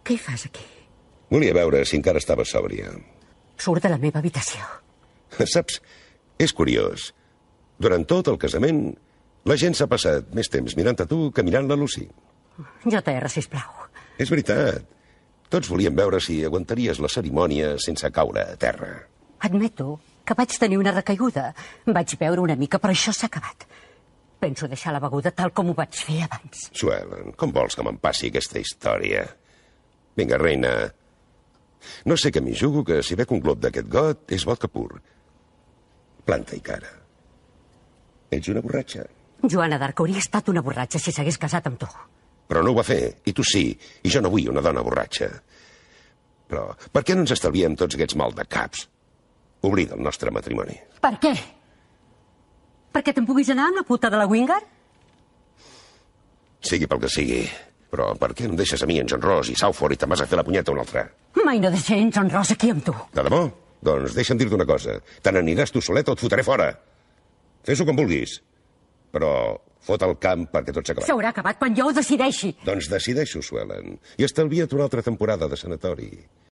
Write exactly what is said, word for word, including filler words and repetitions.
Què hi fas aquí? Volia veure si encara estava sòbria. Surt de la meva habitació. Saps, és curiós. Durant tot el casament, la gent s'ha passat més temps mirant a tu que mirant la Lucy. J R, sisplau. És veritat. Tots volíem veure si aguantaries la cerimònia sense caure a terra. Admeto que vaig tenir una recaiguda. Vaig beure una mica, però això s'ha acabat. Penso deixar la beguda tal com ho vaig fer abans. Suelen, com vols que me'n passi aquesta història? Vinga, reina. No sé què m'hi jugo que si bec un glob d'aquest got és vodka pur. Planta i cara. Ets una borratxa. Joana d'Arc hauria estat una borratxa si s'hagués casat amb tu. Però no ho va fer, i tu sí, i jo no vull una dona borratxa. Però per què no ens estalviem tots aquests mal de caps? Oblida el nostre matrimoni. Per què? Perquè te'n puguis anar amb la puta de la Wingard? Sigui pel que sigui. Però per què no em deixes a mi en John Ross i Southford i te'n vas a fer la punyeta un altre? Mai no deixaré en John Ross aquí amb tu. De debò? Doncs deixa'm dir-te una cosa. Te n'aniràs tu soleta o et fotré fora. Fes-ho com vulguis. Però fot el camp perquè tot s'ha acabat. S'haurà acabat quan jo ho decideixi. Doncs decideixo, Suelen. I estalvia't una altra temporada de sanatori.